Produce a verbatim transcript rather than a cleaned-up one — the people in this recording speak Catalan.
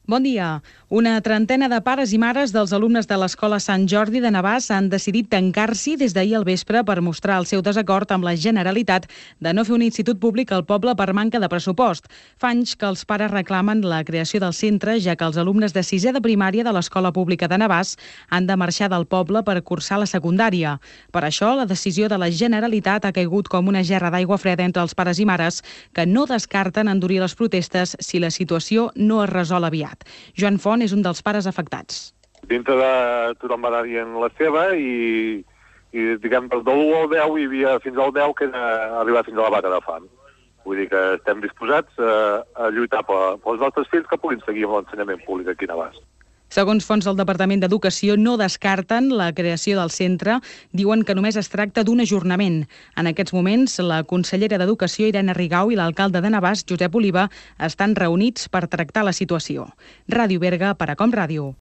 Bon dia. Una trentena de pares i mares dels alumnes de l'Escola Sant Jordi de Navàs han decidit tancar-s'hi des d'ahir al vespre per mostrar el seu desacord amb la Generalitat de no fer un institut públic al poble per manca de pressupost. Fa anys que els pares reclamen la creació del centre, ja que els alumnes de sisè de primària de l'Escola Pública de Navàs han de marxar del poble per cursar la secundària. Per això, la decisió de la Generalitat ha caigut com una gerra d'aigua freda entre els pares i mares, que no descarten endurir les protestes si la situació no es resol aviat. Joan Font és un dels pares afectats. Dintre de tothom va anar dient la seva i, i diguem, de l'u al deu hi havia fins al deu que era arribar fins a la vaca de fam. Vull dir que estem disposats a, a lluitar pels nostres fills que puguin seguir amb l'ensenyament públic aquí a Navàs. Segons fonts del Departament d'Educació, no descarten la creació del centre. Diuen que només es tracta d'un ajornament. En aquests moments, la consellera d'Educació, Irene Rigau, i l'alcalde de Navàs, Josep Oliva, estan reunits per tractar la situació. Ràdio Berga, per a Com Ràdio.